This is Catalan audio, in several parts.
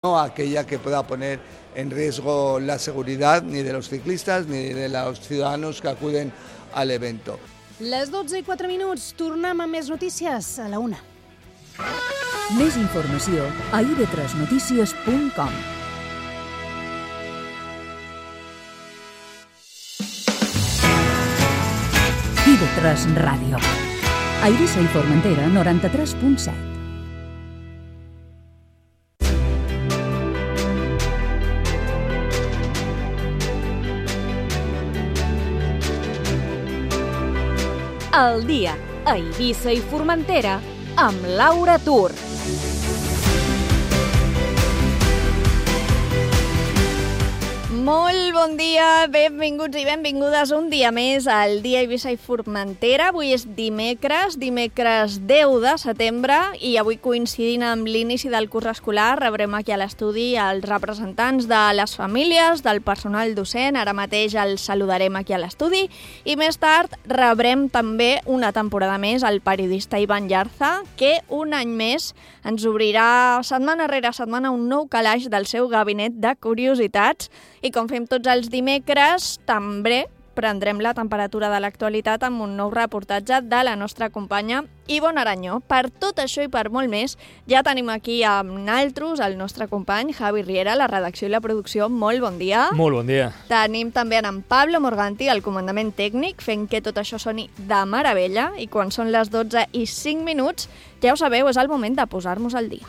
no aquella que pueda poner en riesgo la seguridad ni de los ciclistas ni de los ciudadanos que acuden al evento. Les 12:04, tornem amb més notícies a la 1. Més informació a ib3notícies.com. IB3 Ràdio. A Eivissa i Formentera, 93.7. El dia a Eivissa i Formentera amb Laura Tur. Molt bon dia, benvinguts i benvingudes un dia més al dia a Eivissa i Formentera. Avui és dimecres 10 de setembre i avui coincidint amb l'inici del curs escolar rebrem aquí a l'estudi els representants de les famílies, del personal docent. Ara mateix els saludarem aquí a l'estudi i més tard rebrem també una temporada més el periodista Ivan Llarza, que un any més ens obrirà setmana rere setmana un nou calaix del seu gabinet de curiositats. I com fem tots els dimecres, també prendrem la temperatura de l'actualitat amb un nou reportatge de la nostra companya Ivonne Aranyó. Per tot això i per molt més, ja tenim aquí amb naltros el nostre company Javi Riera, la redacció i la producció. Molt bon dia. Molt bon dia. Tenim també en Pablo Morganti, el comandament tècnic, fent que tot això soni de meravella. I quan són les 12:05, ja ho sabeu, és el moment de posar-nos al dia.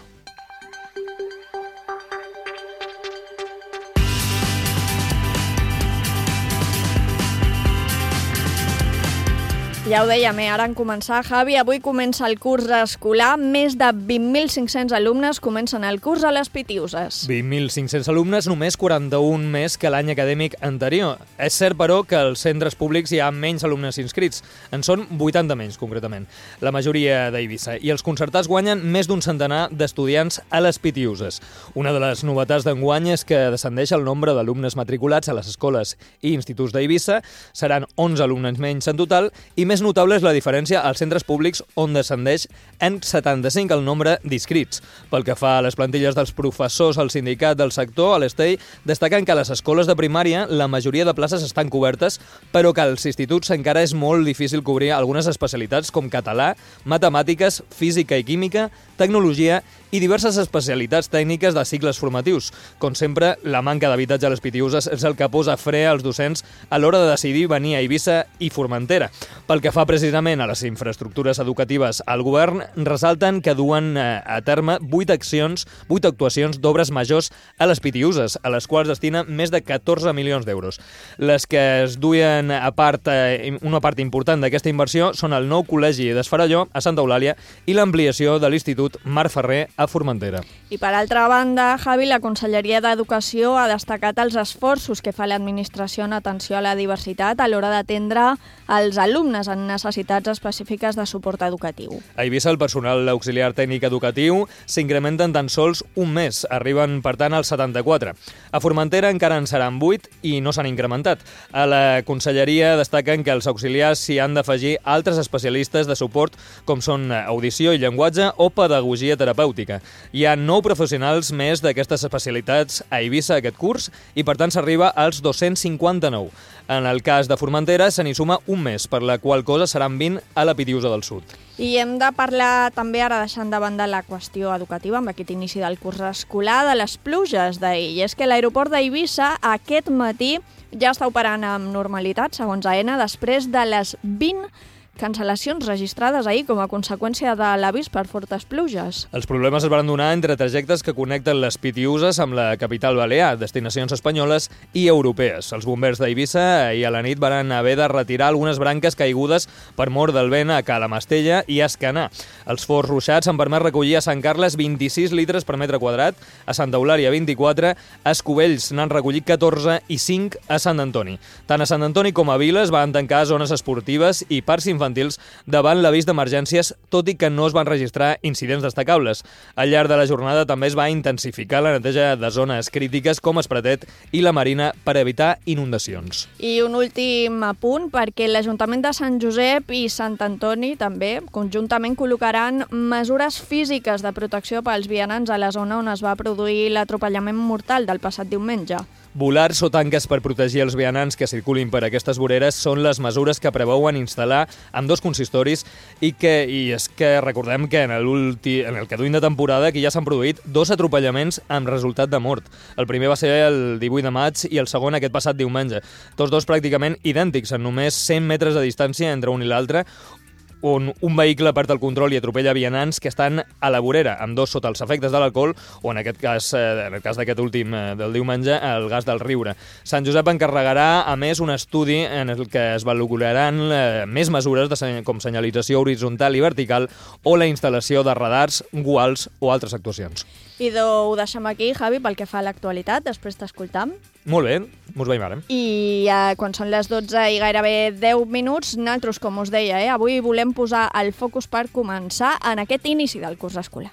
Ja ho dèiem, ara en començar, Javi, avui comença el curs escolar. Més de 20.500 alumnes comencen el curs a les Pitiuses. 20.500 alumnes, només 41 més que l'any acadèmic anterior. És cert, però, que als centres públics hi ha menys alumnes inscrits. En són 80 menys, concretament. La majoria d'Eivissa. I els concertats guanyen més d'un centenar d'estudiants a les Pitiuses. Una de les novetats d'enguany és que descendeix el nombre d'alumnes matriculats a les escoles i instituts d'Eivissa. Seran 11 alumnes menys en total i més notable és la diferència als centres públics, on descendeix en 75 el nombre d'inscrits. Pel que fa a les plantilles dels professors, al sindicat del sector, a l'ESTEI, destaquen que a les escoles de primària la majoria de places estan cobertes, però que als instituts encara és molt difícil cobrir algunes especialitats com català, matemàtiques, física i química, tecnologia i diverses especialitats tècniques de cicles formatius. Com sempre, la manca d'habitatge a les Pitiuses és el que posa fre als docents a l'hora de decidir venir a Eivissa i Formentera. Pel que fa precisament a les infraestructures educatives, al govern ressalten que duen a terme 8 actuacions d'obres majors a les Pitiuses, a les quals destina més de 14 milions d'euros. Les que es duien a part, una part important d'aquesta inversió són el nou col·legi d'Esfarelló, a Santa Eulàlia, i l'ampliació de l'Institut Marc Ferrer a Formentera. I per altra banda, Javi, la Conselleria d'Educació ha destacat els esforços que fa l'administració en atenció a la diversitat a l'hora d'atendre els alumnes en necessitats específiques de suport educatiu. A Eivissa el personal auxiliar tècnic educatiu s'incrementa en tan sols un mes, arriben per tant als 74. A Formentera encara en seran 8 i no s'han incrementat. A la Conselleria destaquen que els auxiliars s'hi han d'afegir altres especialistes de suport com són audició i llenguatge o pedagogia terapèutica. Hi ha 9 professionals més d'aquestes especialitats a Eivissa aquest curs i per tant s'arriba als 259. En el cas de Formentera se n'hi suma un mes, per la qual cosa seran 20 a la Pitiusa del Sud. I hem de parlar també, ara deixant de banda la qüestió educativa, amb aquest inici del curs escolar, de les pluges d'ahir. I és que l'aeroport d'Eivissa aquest matí ja està operant amb normalitat, segons AENA, després de les 20 cancel·lacions registrades ahir com a conseqüència de l'avís per fortes pluges. Els problemes es van donar entre trajectes que connecten les Pitiuses amb la capital balear, destinacions espanyoles i europees. Els bombers d'Eivissa ahir a la nit van haver de retirar algunes branques caigudes per mort del vent a Calamastella i a Escanar. Els forts ruixats han permès recollir a Sant Carles 26 litres per metre quadrat, a Santa Eulàlia 24, a Escovells n'han recollit 14 i 5 a Sant Antoni. Tant a Sant Antoni com a Viles van tancar zones esportives i parcs infantils infantils davant l'avís d'emergències, tot i que no es van registrar incidents destacables. Al llarg de la jornada també es va intensificar la neteja de zones crítiques com Espretet i la Marina per evitar inundacions. I un últim apunt, perquè l'Ajuntament de Sant Josep i Sant Antoni també conjuntament col·locaran mesures físiques de protecció pels vianants a la zona on es va produir l'atropellament mortal del passat diumenge. Volars o tanques per protegir els vianants que circulin per aquestes voreres són les mesures que preveuen instal·lar amb 2 consistoris i és que recordem que en el que duim de temporada aquí ja s'han produït 2 atropellaments amb resultat de mort. El primer va ser el 18 de maig i el segon aquest passat diumenge. Tots 2 pràcticament idèntics, en només 100 metres de distància entre un i l'altre, on un vehicle perd el control i atropella vianants que estan a la vorera, amb 2 sota els efectes de l'alcohol, o en el cas d'aquest últim del diumenge, el gas del riure. Sant Josep encarregarà, a més, un estudi en el que es valoraran més mesures com senyalització horitzontal i vertical o la instal·lació de radars, guals o altres actuacions. I ho deixem aquí, Javi, pel que fa a l'actualitat, després t'escoltam. Molt bé, mos veiem ara. I quan són les 12 i gairebé 10 minuts, nosaltres, com us deia, avui volem posar el focus per començar en aquest inici del curs escolar.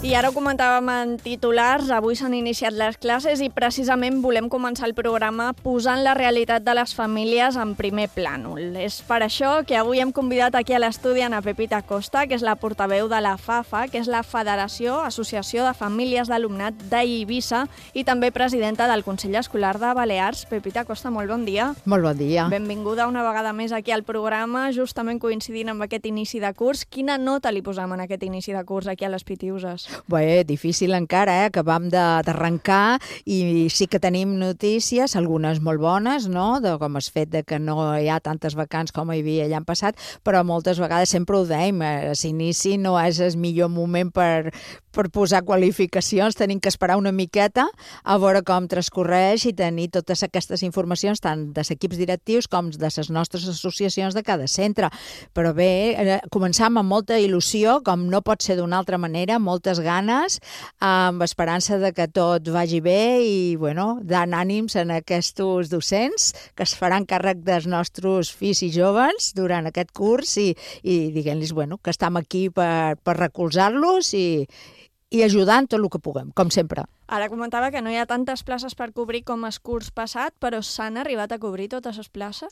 I ara ho comentàvem en titulars, avui s'han iniciat les classes i precisament volem començar el programa posant la realitat de les famílies en primer plànol. És per això que avui hem convidat aquí a l'estudi a Pepita Costa, que és la portaveu de la FAFA, que és la Federació Associació de Famílies d'Alumnat d'Eivissa i també presidenta del Consell Escolar de Balears. Pepita Costa, molt bon dia. Molt bon dia. Benvinguda una vegada més aquí al programa, justament coincidint amb aquest inici de curs. Quina nota li posam en aquest inici de curs aquí a les Pitiuses? Bé, difícil encara, acabam d'arrencar i sí que tenim notícies, algunes molt bones, no?, com el fet de que no hi ha tantes vacants com hi havia l'any passat, però moltes vegades sempre ho dèiem, l'inici no és el millor moment per posar qualificacions, tenim que esperar una miqueta a veure com transcorreix i tenir totes aquestes informacions tant dels equips directius com de les nostres associacions de cada centre. Però bé, començam amb molta il·lusió, com no pot ser d'una altra manera, moltes ganes, amb esperança de que tot vagi bé i, bueno, dant ànims en aquests docents que es faran càrrec dels nostres fills i joves durant aquest curs i diguem-los, bueno, que estem aquí per recolzar-los i ajudant tot el que puguem, com sempre. Ara comentava que no hi ha tantes places per cobrir com el curs passat, però s'han arribat a cobrir totes les places?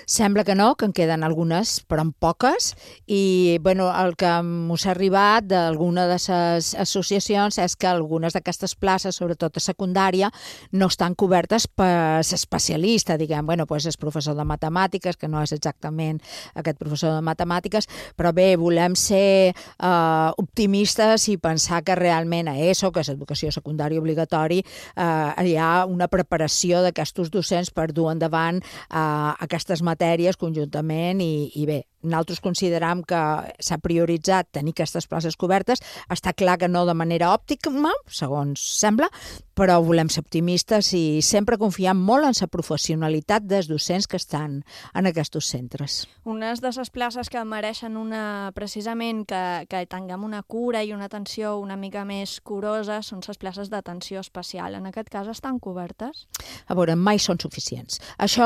Sembla que no, que en queden algunes, però en poques, i bueno, el que m'ha arribat d'alguna de les associacions és que algunes d'aquestes places, sobretot a secundària, no estan cobertes per l'especialista, diguem, bueno, doncs el professor de matemàtiques, que no és exactament aquest professor de matemàtiques, però bé, volem ser optimistes i pensar que realment a ESO, que és educació secundària obligatori, hi ha una preparació d'aquests docents per dur endavant aquestes matèries conjuntament i bé, nosaltres consideram que s'ha prioritzat tenir aquestes places cobertes. Està clar que no de manera òptima, segons sembla, però volem ser optimistes i sempre confiar molt en la professionalitat dels docents que estan en aquests centres. Unes de les places que mereixen precisament que tinguem una cura i una atenció una mica més curosa són les places d'atenció especial. En aquest cas estan cobertes? A veure, mai són suficients. Això,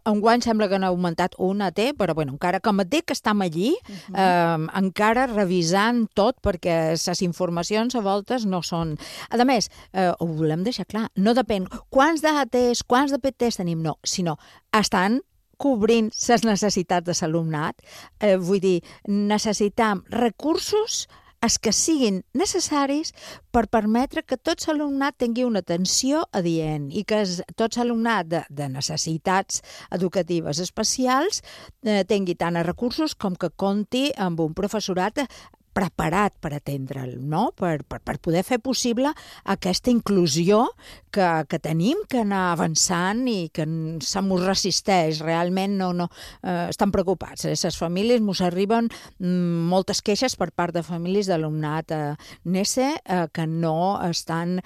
enguany sembla que n'ha augmentat una, però bueno, encara com et dic que estem allí, encara revisant tot, perquè les informacions a voltes no són... A més, ho volem deixar clar, no depèn quants d'ATs, quants de PTs tenim, no, sinó estan cobrint les necessitats de l'alumnat. Vull dir, necessitem recursos els que siguin necessaris per permetre que tot l'alumnat tingui una atenció adient i que tot l'alumnat de necessitats educatives especials tingui tant recursos com que compti amb un professorat preparat per atendre'l, no? Per poder fer possible aquesta inclusió que tenim que anar avançant i que se mos resisteix. Realment no estan preocupats. Les famílies mos arriben moltes queixes per part de famílies d'alumnat NESE que no estan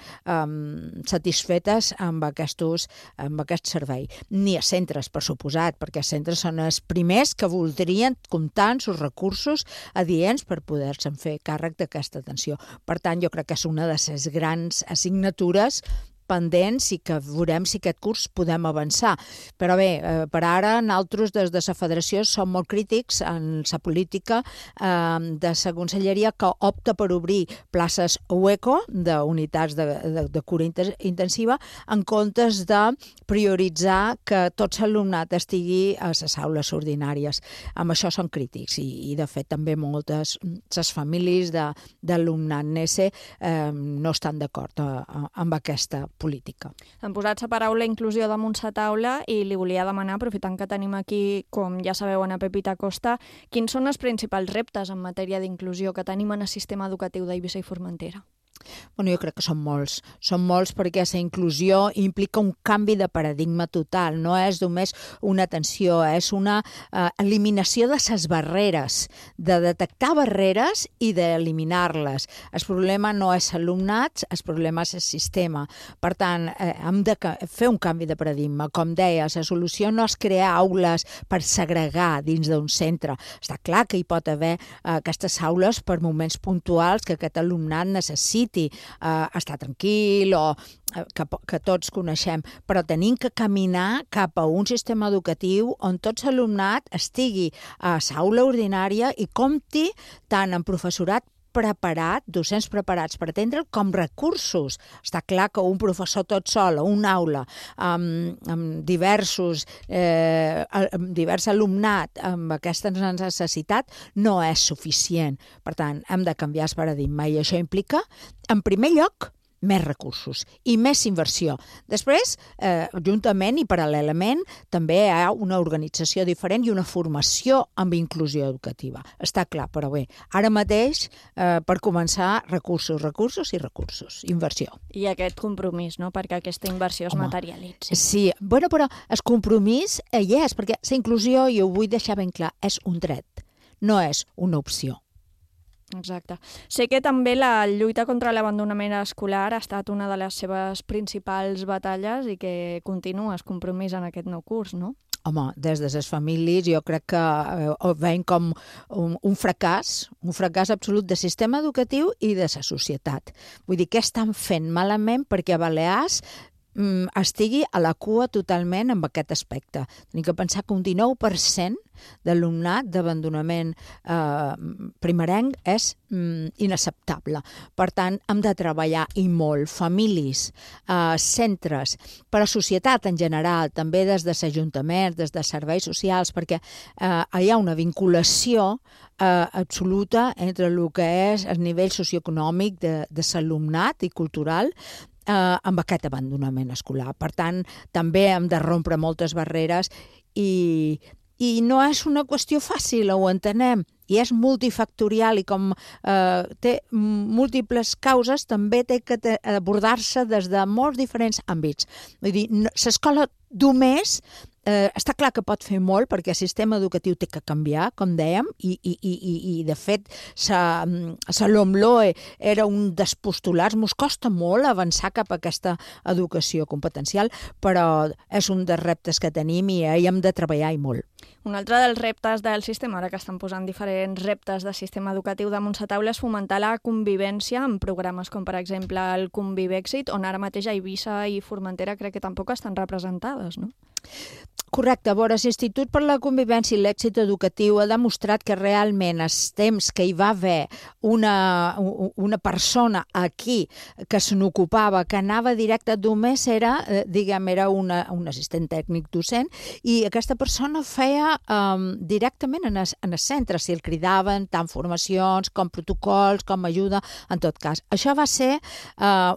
satisfetes amb aquest servei. Ni a centres, per suposat, perquè els centres són els primers que voldrien comptar amb els recursos adients per poder adults en fer càrrec d'aquesta atenció. Per tant, jo crec que és una de les grans assignatures pendents i que veurem si aquest curs podem avançar. Però bé, per ara nosaltres des de la federació som molt crítics en la política de la conselleria que opta per obrir places UECO d'unitats de cura intensiva en comptes de prioritzar que tot l'alumnat estigui a les aules ordinàries. Amb això són crítics i de fet també moltes les famílies d'alumnat NESE no estan d'acord amb aquesta política. Han posat la paraula inclusió damunt la taula i li volia demanar, aprofitant que tenim aquí, com ja sabeu, Ana Pepita Costa, quins són els principals reptes en matèria d'inclusió que tenim en el sistema educatiu d'Eivissa i Formentera? Bueno, jo crec que són molts perquè la inclusió implica un canvi de paradigma total, no és només una atenció, és una eliminació de les barreres, de detectar barreres i d'eliminar-les. El problema no és l'alumnat, el problema és el sistema. Per tant, hem de fer un canvi de paradigma. Com deia, la solució no és crear aules per segregar dins d'un centre. Està clar que hi pot haver aquestes aules per moments puntuals que aquest alumnat necessiti estar tranquil o que tots coneixem, però tenim que caminar cap a un sistema educatiu on tot l'alumnat estigui a l'aula ordinària i compti tant amb professorat preparat, docents preparats per atendre, com recursos. Està clar que un professor tot sol a una aula amb divers alumnat amb aquesta necessitat no és suficient. Per tant, hem de canviar el paradigma i això implica, en primer lloc, més recursos i més inversió. Després, juntament i paral·lelament, també hi ha una organització diferent i una formació amb inclusió educativa. Està clar, però bé, ara mateix, per començar, recursos, inversió. I aquest compromís, no?, perquè aquesta inversió es materialitzi. Sí, bueno, però el compromís hi és, perquè la inclusió, i ho vull deixar ben clar, és un dret, no és una opció. Exacte. Sé que també la lluita contra l'abandonament escolar ha estat una de les seves principals batalles i que continua el compromís en aquest nou curs, no? Home, des de les famílies jo crec que ho veiem com un fracàs absolut del sistema educatiu i de la societat. Vull dir, què estan fent malament perquè a Balears estigui a la cua totalment amb aquest aspecte. Tenim que pensar que un 19% d'alumnat d'abandonament primerenc és inacceptable. Per tant, hem de treballar i molt, famílies, centres, per a societat en general, també des de l'Ajuntament, des de serveis socials, perquè hi ha una vinculació absoluta entre el que és el nivell socioeconòmic de l'alumnat i cultural amb aquest abandonament escolar. Per tant, també hem de rompre moltes barreres i no és una qüestió fàcil, ho entenem, i és multifactorial i com té múltiples causes, també té que abordar-se des de molts diferents àmbits. Vull dir, l'escola només està clar que pot fer molt perquè el sistema educatiu té que canviar, com dèiem, i de fet la LOMLOE era un dels postulats. Mos costa molt avançar cap a aquesta educació competencial, però és un dels reptes que tenim i hi hem de treballar i molt. Un altre dels reptes del sistema, ara que estan posant diferents reptes del sistema educatiu damunt la taula, és fomentar la convivència en programes com, per exemple, el Convivèxit, on ara mateix a Eivissa i Formentera crec que tampoc estan representades, no? Correcte. A veure, l'Institut per la Convivència i l'Èxit Educatiu ha demostrat que realment els temps que hi va haver una persona aquí que se n'ocupava, que anava directe, només era un assistent tècnic docent, i aquesta persona feia directament en el centre, si el cridaven, tant formacions com protocols, com ajuda, en tot cas. Això va ser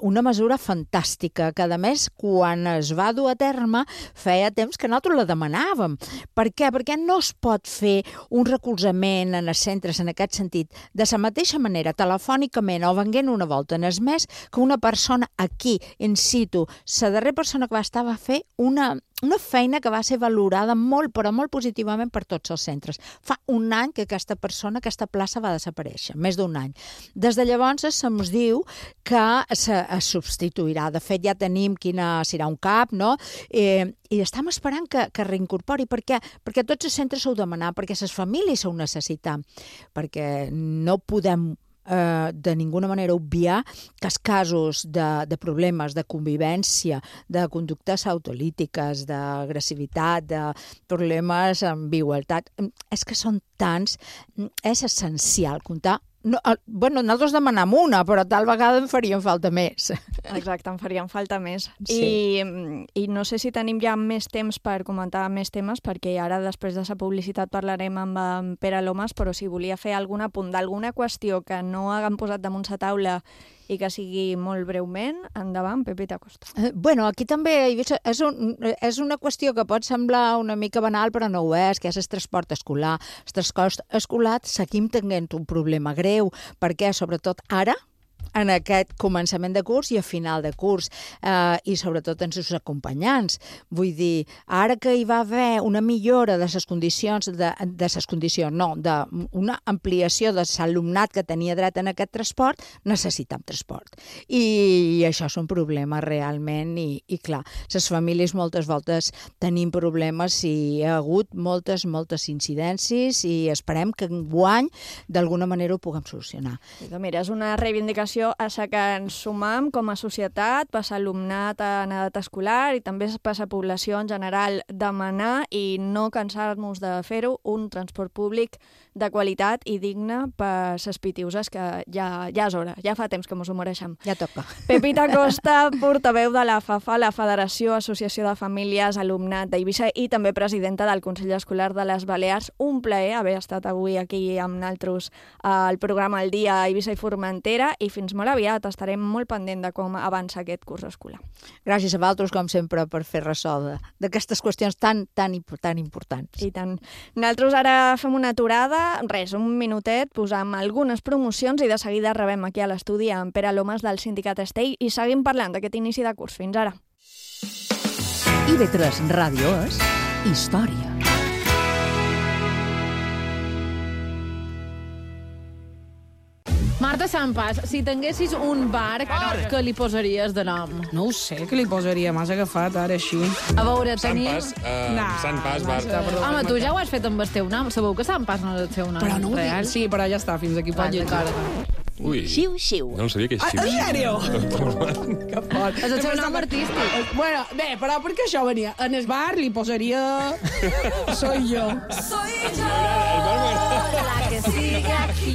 una mesura fantàstica, que a més, quan es va dur a terme, feia temps que nosaltres la demanàvem. Per què? Perquè no es pot fer un recolzament en els centres en aquest sentit de la mateixa manera, telefònicament o venguent una volta en el mes, que una persona aquí, in situ. La darrera persona que va estar va fer una feina que va ser valorada molt, però molt positivament per tots els centres. Fa un any que aquesta plaça va desaparèixer, més d'un any. Des de llavors se'ns diu que es substituirà. De fet, ja tenim quina serà un cap, no? I estem esperant que que reincorpori. Per què? Perquè tots els centres s'ho demanar, perquè les famílies s'ho necessiten, perquè no podem de ninguna manera obviar que els casos de problemes de convivència, de conductes autolítiques, d'agressivitat, de problemes amb igualtat, és que són tants, és essencial comptar. Nosaltres demanem una, però tal vegada en farien falta més. Exacte, en farien falta més. Sí. I no sé si tenim ja més temps per comentar més temes, perquè ara després de la publicitat parlarem amb en Pere Lomas, però si volia fer algun apunt d'alguna qüestió que no haguem posat damunt la taula i que sigui molt breument, endavant, Pepita Costa. Aquí també és una qüestió que pot semblar una mica banal, però no ho és, que és el transport escolar. El transport escolar seguim tenint un problema greu, perquè sobretot ara, en aquest començament de curs i a final de curs, i sobretot en els acompanyants. Vull dir, ara que hi va haver una millora de les condicions, d'una ampliació de l'alumnat que tenia dret en aquest transport, necessitem transport. I això és un problema realment, i clar, les famílies moltes voltes tenim problemes i hi ha hagut moltes incidències i esperem que enguany d'alguna manera ho puguem solucionar. Mira, és una reivindicació a la que ens sumam com a societat, per l'alumnat en edat escolar i també per la població en general, demanar i no cansar-nos de fer-ho, un transport públic de qualitat i digne per les pitiuses, que ja és hora, ja fa temps que ens ho mereixem. Ja toca. Pepita Costa, portaveu de la FAFA, la Federació Associació de Famílies Alumnat d'Eivissa, i també presidenta del Consell Escolar de les Balears. Un plaer haver estat avui aquí amb nosaltres al programa El Dia a Eivissa i Formentera, i fins molt aviat. Estarem molt pendent de com avança aquest curs escolar. Gràcies a vosaltres, com sempre, per fer ressò d'aquestes qüestions tan importants. I tant. Nosaltres ara fem una aturada, un minutet, posam algunes promocions i de seguida rebem aquí a l'estudi amb Pere Lomas del Sindicat Estell i seguim parlant d'aquest inici de curs. Fins ara. IB3 Ràdio és història. Marta Sampas, si tinguessis un barc, què li posaries de nom? No ho sé, què li posaria? M'has agafat ara així. A veure, tenim... Sant Pas, Marta. Home, tu ja ho has fet amb el teu nom. Sabeu que Sant Pas no és el seu nom Però no ho real? dic. Sí, però ja està, fins aquí pot llegir. Ui, Xiu-xiu. no sabia que és xiu-xiu. En sèrio? Que fort. És el seu nom artístic. Bueno, bé, però perquè això venia. En el bar li posaria... Soy yo.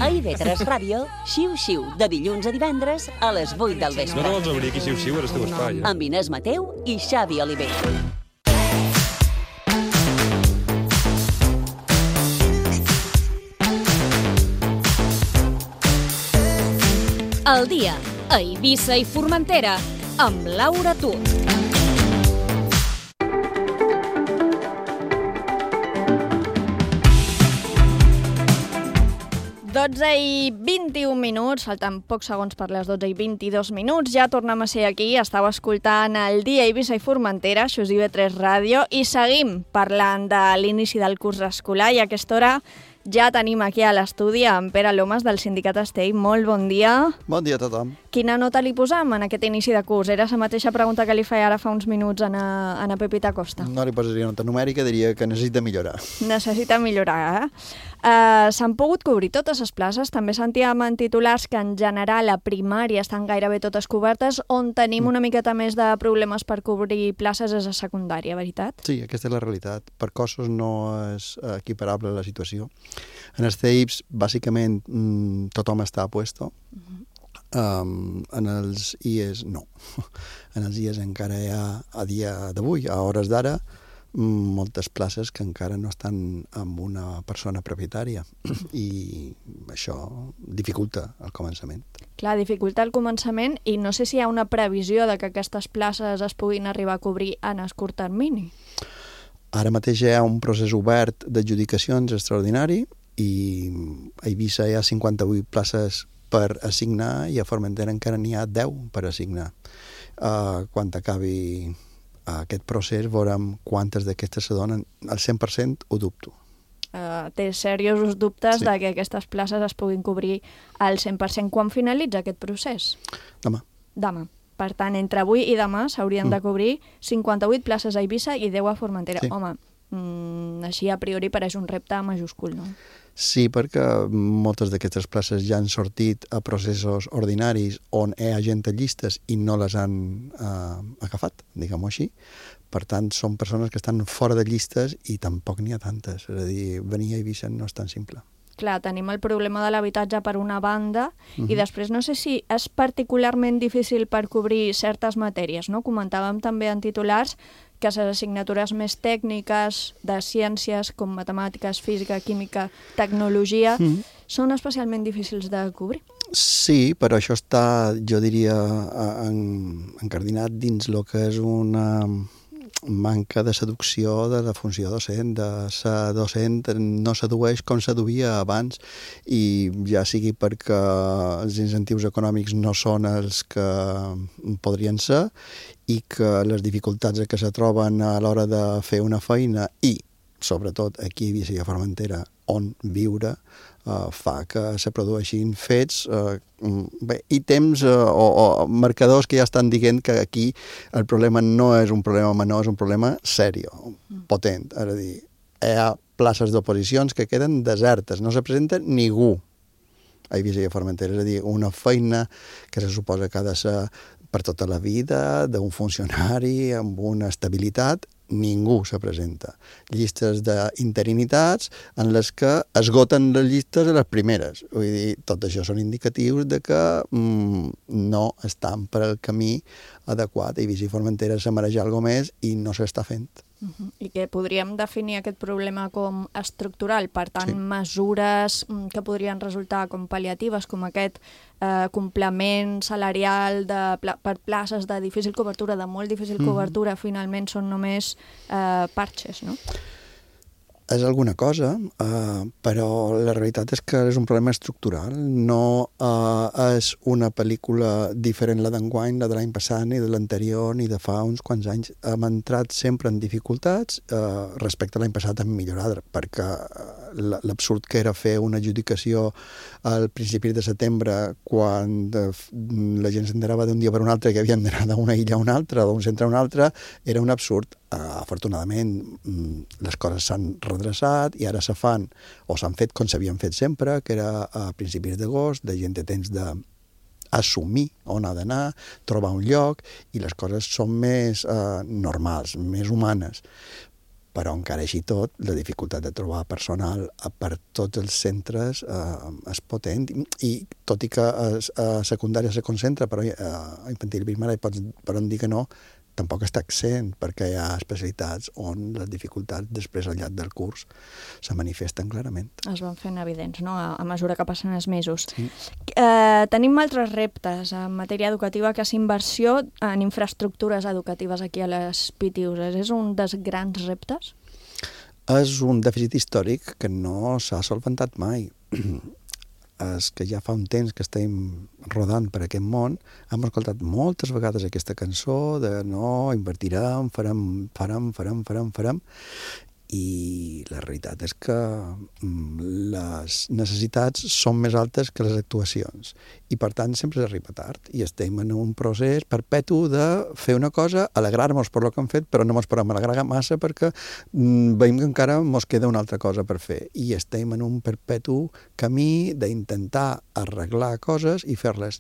A IB3 Ràdio, Xiu-xiu, de dilluns a divendres a les 8 del No vespre. te vols obrir aquí xiu-xiu, ara esteu espai. Amb Inés Mateu i Xavi Oliver. El dia a Eivissa i Formentera amb Laura Tut. I 21 minuts, falten pocs segons per les 12 i 22 minuts, ja tornem a ser aquí, estàu escoltant el dia a Eivissa i Formentera, això és IB3 Ràdio, i seguim parlant de l'inici del curs escolar, i a aquesta hora ja tenim aquí a l'estudi amb Pere Lomas del Sindicat Estell. Molt bon dia. Bon dia a tothom. Quina nota li posam en aquest inici de curs? Era la mateixa pregunta que li feia ara fa uns minuts a Pepita Costa. No li posaria nota numèrica, diria que necessita millorar. Necessita millorar, s'han pogut cobrir totes les places. També sentíem en titulars que en general a primària estan gairebé totes cobertes, on tenim una miqueta més de problemes per cobrir places és a secundària, veritat? Sí, aquesta és la realitat. Per cossos no és equiparable la situació. En els CEIPs, bàsicament, tothom està a puesto. En els IES, no. En els IES encara hi ha, a dia d'avui, a hores d'ara, moltes places que encara no estan amb una persona propietària i això dificulta el començament. Clar, dificulta el començament, i no sé si hi ha una previsió de que aquestes places es puguin arribar a cobrir en el curt termini. Ara mateix hi ha un procés obert d'adjudicacions extraordinari i a Eivissa hi ha 58 places per assignar i a Formentera encara n'hi ha 10 per assignar. Quan acabi aquest procés veurem quantes d'aquestes se donen. Al 100% ho dubto. Té seriosos dubtes de que aquestes places es puguin cobrir al 100%. Quan finalitza aquest procés? Demà. Demà. Per tant, entre avui i demà s'haurien de cobrir 58 places a Eivissa i 10 a Formentera. Sí. Home, així a priori pareix un repte majúscul, no? Sí, perquè moltes d'aquestes places ja han sortit a processos ordinaris on hi ha gent a llistes i no les han agafat, diguem-ho així. Per tant, són persones que estan fora de llistes i tampoc n'hi ha tantes. És a dir, venir a Eivissa no és tan simple. Clar, tenim el problema de l'habitatge per una banda i després no sé si és particularment difícil per cobrir certes matèries, no? Comentàvem també en titulars que les assignatures més tècniques de ciències com matemàtiques, física, química, tecnologia són especialment difícils de cobrir. Sí, però això està, jo diria, encardinat dins el que és una manca de seducció de la funció docent. De ser docent no sedueix com seduïa abans, i ja sigui perquè els incentius econòmics no són els que podrien ser i que les dificultats que se troben a l'hora de fer una feina i, sobretot, aquí a Eivissa i a Formentera, on viure, fa que se produeixin fets i temps o marcadors que ja estan dient que aquí el problema no és un problema menor, és un problema sèrio, potent. És a dir, hi ha places d'oposicions que queden desertes, no se presenta ningú a Eivissa i a Formentera. És a dir, una feina que se suposa que ha de ser per tota la vida, d'un funcionari amb una estabilitat, ningú se presenta. Llistes d'interinitats en les que esgoten les llistes a les primeres. Vull dir, tot això són indicatius de que no estan per al camí adequat. Eivissa i Formentera se mereix alguna més i no s'està fent. I que podríem definir aquest problema com estructural, per tant, mesures que podrien resultar com pal·liatives, com aquest complement salarial per places de difícil cobertura, de molt difícil cobertura, finalment són només parxes, no? És alguna cosa, però la realitat és que és un problema estructural. No és una pel·lícula diferent la d'enguany, la de l'any passat, ni de l'anterior, ni de fa uns quants anys. Hem entrat sempre en dificultats. Respecte a l'any passat hem millorat, perquè l'absurd que era fer una adjudicació al principi de setembre, quan la gent s'enterava d'un dia per un altre que havien d'anar d'una illa a una altra, d'un centre a un altre, era un absurd. Afortunadament, les coses s'han redreçat i ara se fan, o s'han fet com s'havien fet sempre, que era a principis d'agost, la gent té temps d'assumir on ha d'anar, trobar un lloc, i les coses són més normals, més humanes. Però encara així tot, la dificultat de trobar personal per tots els centres és potent, i tot i que a secundària se concentra, però a infantil i primària poden dir que no, tampoc està accent, perquè hi ha especialitats on les dificultats després al llarg del curs se manifesten clarament. Es van fent evidents, no?, a mesura que passen els mesos. Sí. Tenim altres reptes en matèria educativa, que és inversió en infraestructures educatives aquí a les PITIUs. És un dels grans reptes? És un dèficit històric que no s'ha solventat mai. És que ja fa un temps que estem rodant per aquest món, hem escoltat moltes vegades aquesta cançó de no, invertirem, farem, i la realitat és que les necessitats són més altes que les actuacions, i per tant sempre s'arriba tard, i estem en un procés perpetu de fer una cosa, alegrar-nos per el que hem fet, però no ens podem alegrar massa perquè veiem que encara ens queda una altra cosa per fer, i estem en un perpetu camí d'intentar arreglar coses i fer-les.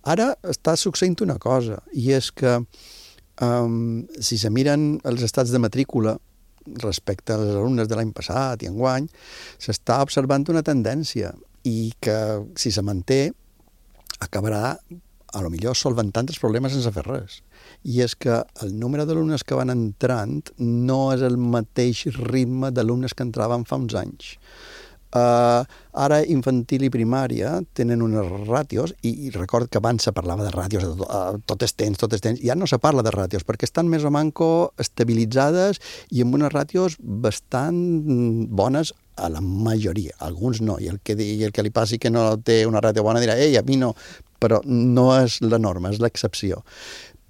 Ara està succeint una cosa, i és que si se miren els estats de matrícula respecte als alumnes de l'any passat i enguany, s'està observant una tendència, i que si se manté acabarà a lo millor solventant els problemes sense fer res. I és que el número d'alumnes que van entrant no és el mateix ritme d'alumnes que entraven fa uns anys. Ara infantil i primària tenen unes ràtios, i record que abans se parlava de ràtios tot és temps, ja no se parla de ràtios perquè estan més o manco estabilitzades i amb unes ràtios bastant bones a la majoria, alguns no, i el que li passi que no té una ràtio bona dirà, ei, a mi no, però no és la norma, és l'excepció.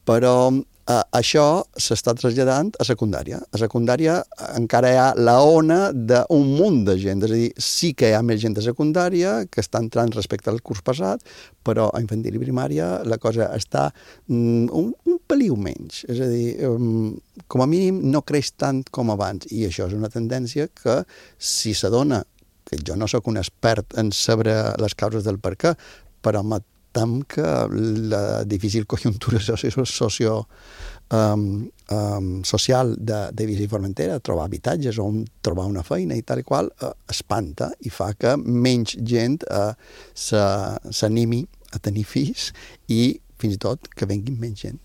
Però Això s'està traslladant a secundària. A secundària encara hi ha la ona d'un munt de gent, és a dir, sí que hi ha més gent de secundària que està entrant respecte al curs passat, però a infantil i primària la cosa està un peliu menys, és a dir, com a mínim no creix tant com abans, i això és una tendència que si s'adona, que jo no sóc un expert en saber les causes del per què, però tem que la difícil conjuntura social d'Eivissa i Formentera, trobar habitatges on trobar una feina i tal i qual, espanta i fa que menys gent s'animi a tenir fills i fins i tot que venguin menys gent.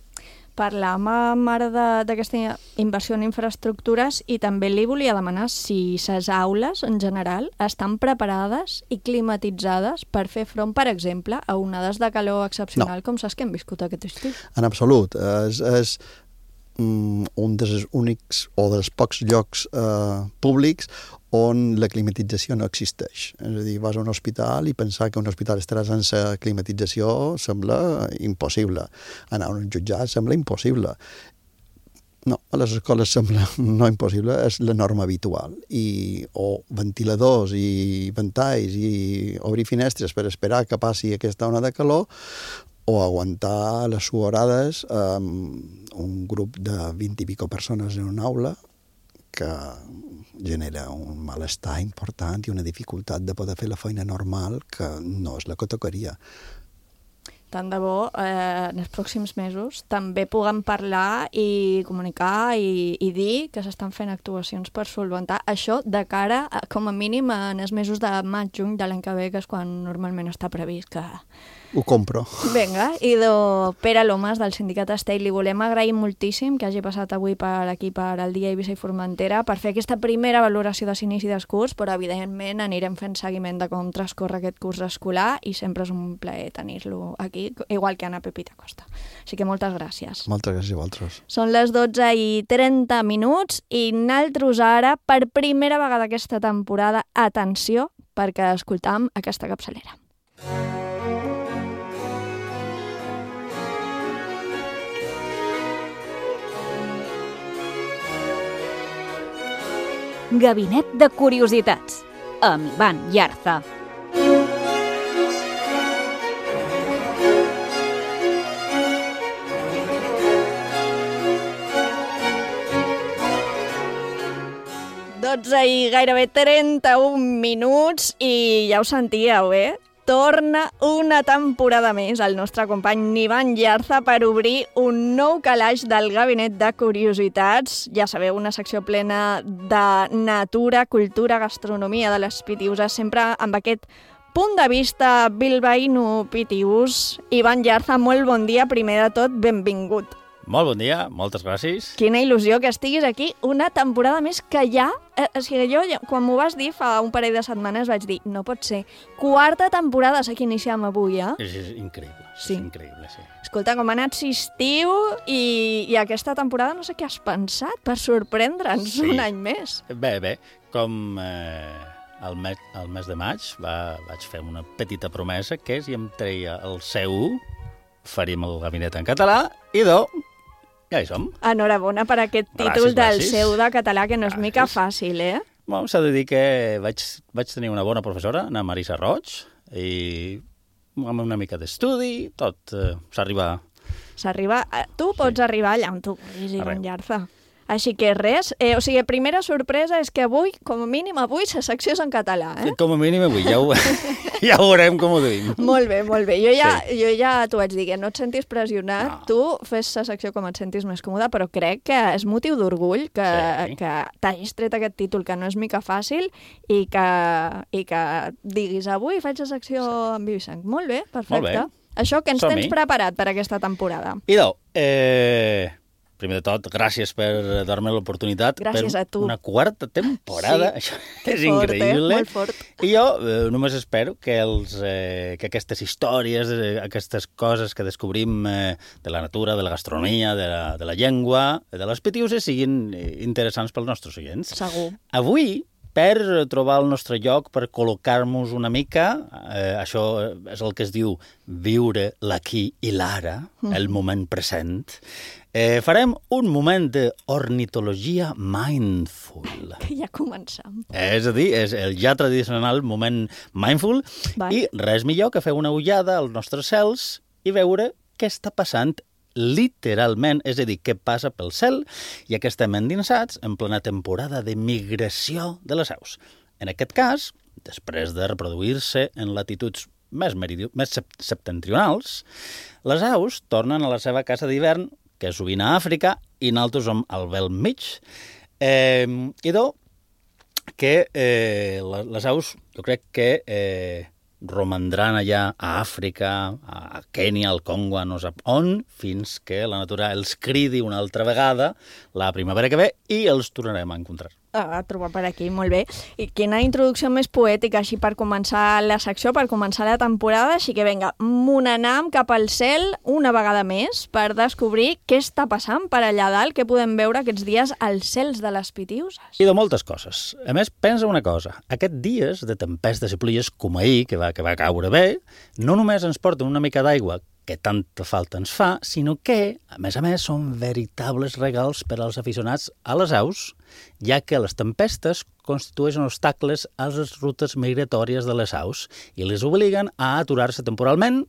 Parlàvem ara d'aquesta inversió en infraestructures i també li volia demanar si les aules, en general, estan preparades i climatitzades per fer front, per exemple, a onades de calor excepcional com les que hem viscut aquest estiu. En absolut. És un dels únics o dels pocs llocs públics on la climatització no existeix. És a dir, vas a un hospital i pensar que un hospital estarà sense climatització sembla impossible. Anar a un jutjat sembla impossible. No, a les escoles sembla no impossible, és la norma habitual. O ventiladors i ventalls i obrir finestres per esperar que passi aquesta ona de calor, o aguantar les suorades un grup de 20 i pico persones en una aula que genera un malestar important i una dificultat de poder fer la feina normal que no és la que tocaria. Tant de bo, en els pròxims mesos, també puguem parlar i comunicar i dir que s'estan fent actuacions per solventar això de cara, com a mínim, en els mesos de maig-juny de l'any que ve, que és quan normalment està previst que... Ho compro. Vinga, i Pere Lomas, del Sindicat Estell, li volem agrair moltíssim que hagi passat avui per aquí, per el Dia Eivissa i Formentera, per fer aquesta primera valoració de l'inici del curs, però evidentment anirem fent seguiment de com transcorre aquest curs escolar i sempre és un plaer tenir-lo aquí, igual que Anna Pepita Costa. Així que moltes gràcies. Moltes gràcies a vosaltres. Són les 12:30 i naltros ara, per primera vegada aquesta temporada, atenció, perquè escoltam aquesta capçalera. Gabinet de Curiositats, amb Ivan Yarza. I gairebé 31 minuts i ja ho sentíeu, Torna una temporada més el nostre company Ivan Yarza per obrir un nou calaix del Gabinet de Curiositats. Ja sabeu, una secció plena de natura, cultura, gastronomia de les Pitiuses, sempre amb aquest punt de vista bilbaíno-pitius. Ivan Yarza, molt bon dia, primer de tot, benvingut. Molt bon dia, moltes gràcies. Quina il·lusió que estiguis aquí una temporada més que ja... O sigui, jo, quan m'ho vas dir fa un parell de setmanes, vaig dir, no pot ser. 4a temporada que iniciem avui, És increïble, sí. És increïble, sí. Escolta, com ha anat l'estiu i aquesta temporada no sé què has pensat per sorprendre'ns un any més. Bé, com el mes de maig vaig fer una petita promesa que si em treia el C1 faríem el gabinet en català i ja hi som. Enhorabona per aquest títol del seu de català, que no és mica fàcil, Bueno, s'ha de dir que vaig tenir una bona professora, Ana Marisa Roig, i amb una mica d'estudi, tot s'arriba... Tu pots arribar allà on tu vulguis, Ivan Yarza. Així que res, o sigui, primera sorpresa és que avui, com a mínim avui, la secció és en català, Com a mínim avui, ja ho veurem com ho duim. Molt bé. Jo ja t'ho vaig dir, que no et sentis pressionat, tu fes la secció com et sentis més còmode, però crec que és motiu d'orgull que t'hagis tret aquest títol, que no és mica fàcil, i que diguis, avui faig la secció amb viu i sang. Molt bé, perfecte. Això que ens tens preparat per aquesta temporada. Primer de tot, gràcies per dar-me l'oportunitat. Gràcies a tu. Una 4a temporada. Sí. Això és increïble. Molt fort. I jo només espero que aquestes històries, aquestes coses que descobrim de la natura, de la gastronomia, de la llengua, de les Pitiuses, siguin interessants pels nostres oients. Segur. Avui, per trobar el nostre lloc, per col·locar-nos una mica. Això és el que es diu viure l'aquí i l'ara, el moment present. Farem un moment d'ornitologia mindful. Ja començam. És a dir, és el ja tradicional moment mindful i res millor que fer una ullada als nostres cels i veure què està passant literalment, és a dir, què passa pel cel, ja que estem endinsats en plena temporada de migració de les aus. En aquest cas, després de reproduir-se en latituds més septentrionals, les aus tornen a la seva casa d'hivern, que és sovint a Àfrica, i nosaltres som al bel mig. Idò que les aus, jo crec que romandran allà a Àfrica, a Kènia, al Congo, a no sap on, fins que la natura els cridi una altra vegada la primavera que ve i els tornarem a encontrar. A trobar per aquí, molt bé. I quina introducció més poètica, així per començar la secció, per començar la temporada, així que vinga, m'onanam cap al cel una vegada més per descobrir què està passant per allà dalt, què podem veure aquests dies als cels de les Pitiuses. I de moltes coses. A més, pensa una cosa, aquests dies de tempestes i pluies com ahir, que va caure bé, no només ens porten una mica d'aigua, que tanta falta ens fa, sinó que, a més, són veritables regals per als aficionats a les aus, ja que les tempestes constitueixen obstacles a les rutes migratòries de les aus i les obliguen a aturar-se temporalment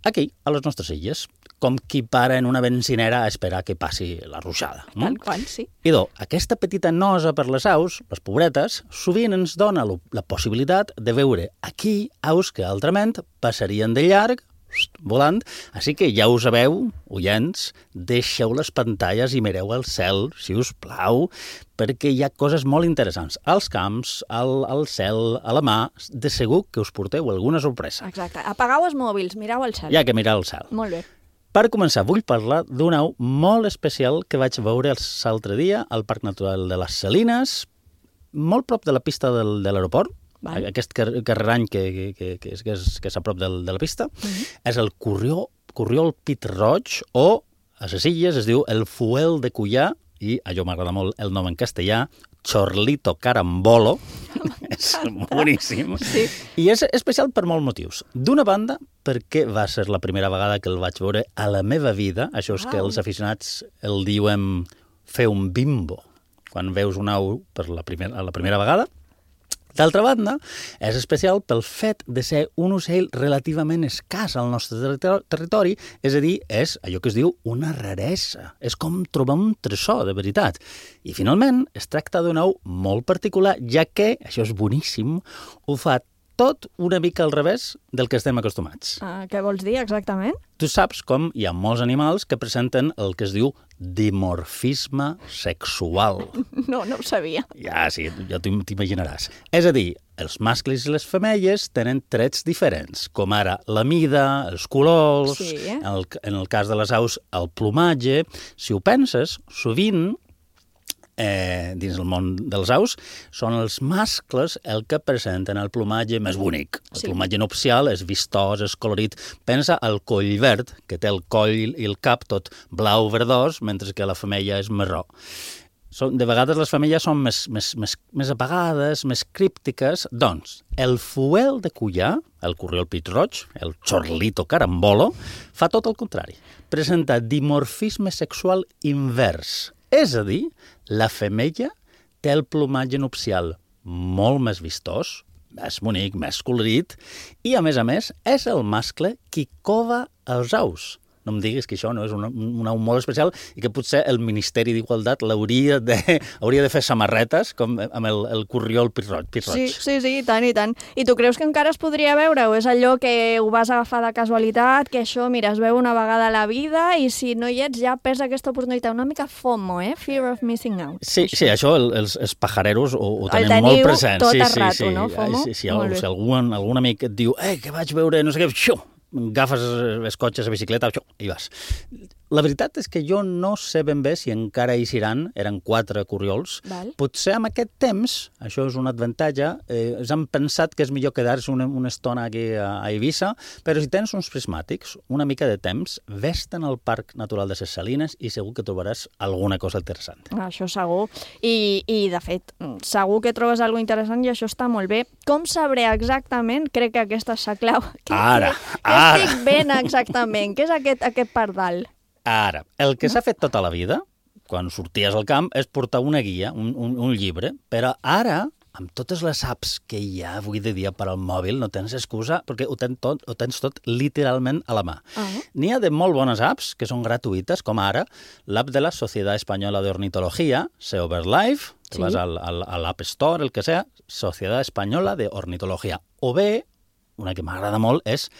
aquí, a les nostres illes, com qui para en una benzinera a esperar que passi la ruixada. Tal qual, sí. Idò, aquesta petita nosa per les aus, les pobretes, sovint ens dona la possibilitat de veure aquí aus que altrament passarien de llarg volant, així que ja ho sabeu, oients, deixeu les pantalles i mireu al cel, si us plau, perquè hi ha coses molt interessants. Als camps, al cel, a la mà, de segur que us porteu alguna sorpresa. Exacte. Apagau els mòbils, mireu al cel. Hi ha que mirar al cel. Molt bé. Per començar, vull parlar d'una au molt especial que vaig veure l'altre dia al Parc Natural de les Salines, molt prop de la pista de l'aeroport. Aquest carrerany que és a prop de la pista, és el corriol pit-roig, o a les illes es diu el fuel de Cuià, i allò m'agrada molt el nom en castellà, Chorlito Carambolo, és boníssim, i és especial per molts motius. D'una banda, perquè va ser la primera vegada que el vaig veure a la meva vida, això és que els aficionats el diuen fer un bimbo, quan veus una au a la primera vegada. D'altra banda, és especial pel fet de ser un ocell relativament escàs al nostre territori, és a dir, és allò que es diu una raresa. És com trobar un tresor, de veritat. I, finalment, es tracta d'una au molt particular, ja que, això és boníssim, ho fa tot una mica al revés del que estem acostumats. Què vols dir, exactament? Tu saps com hi ha molts animals que presenten el que es diu dimorfisme sexual. No ho sabia. Ja, sí, ja t'imaginaràs. És a dir, els mascles i les femelles tenen trets diferents, com ara la mida, els colors, en el cas de les aus, el plomatge. Si ho penses, sovint, dins el món dels aus, són els mascles el que presenten el plomatge més bonic. El plomatge nupcial és vistós, és colorit. Pensa al coll verd, que té el coll i el cap tot blau verdós, mentre que la femella és marró. De vegades les femelles són més apagades, més críptiques. Doncs, el fuel de Cuià, el corriol pit-roig, el Chorlito Carambolo, fa tot el contrari. Presenta dimorfisme sexual invers. És a dir, la femella té el plomatge nupcial molt més vistós, més bonic, més colorit, i, a més, és el mascle qui cova els aus. No em diguis que això no és una au molt especial i que potser el Ministeri d'Igualtat hauria de fer samarretes com amb el corriol pit-roig. Sí, i tant, i tant. I tu creus que encara es podria veure o és allò que ho vas agafar de casualitat, que això, mira, es veu una vegada a la vida i si no hi ets ja perds aquesta oportunitat. Una mica FOMO, Fear of missing out. Sí, això els pajareros ho tenen molt present. El teniu tot el rato, no, FOMO? Si algun amic et diu que vaig veure no sé què, agafes els cotxes, la bicicleta, i vas. La veritat és que jo no sé ben bé si encara hi seran, eren 4 corriols. Val. Potser amb aquest temps, això és un avantatge, han pensat que és millor quedar-se una estona aquí a Eivissa, però si tens uns prismàtics, una mica de temps, ves-te'n al Parc Natural de ses Salines i segur que trobaràs alguna cosa interessant. Això segur. I de fet, segur que trobes alguna interessant i això està molt bé. Com sabré exactament? Crec que aquesta és la clau. Ara. Què estic ben exactament? Què és aquest pardal? Ara, el que s'ha fet tota la vida, quan sorties al camp, és portar una guia, un llibre, però ara, amb totes les apps que hi ha avui de dia per al mòbil, no tens excusa, perquè ho tens tot literalment a la mà. N'hi ha de molt bones apps, que són gratuïtes, com ara l'app de la Sociedad Española de Ornitología, SEOBirdLife, que vas a l'App Store, el que sea, Sociedad Española de Ornitología. O bé, una que m'agrada molt, és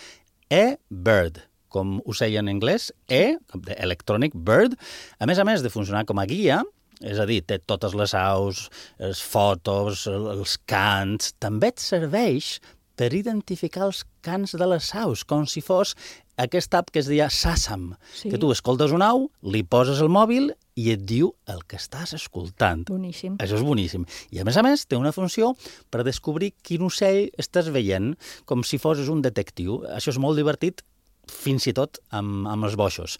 eBird, com ocell en anglès, Electronic Bird. A més de funcionar com a guia, és a dir, té totes les aus, les fotos, els cants, també et serveix per identificar els cants de les aus, com si fos aquesta app que es deia Sàsam, que tu escoltes una au, li poses el mòbil i et diu el que estàs escoltant. Boníssim. Això és boníssim. I a més, té una funció per descobrir quin ocell estàs veient, com si fossis un detectiu. Això és molt divertit, fins i tot amb els boixos.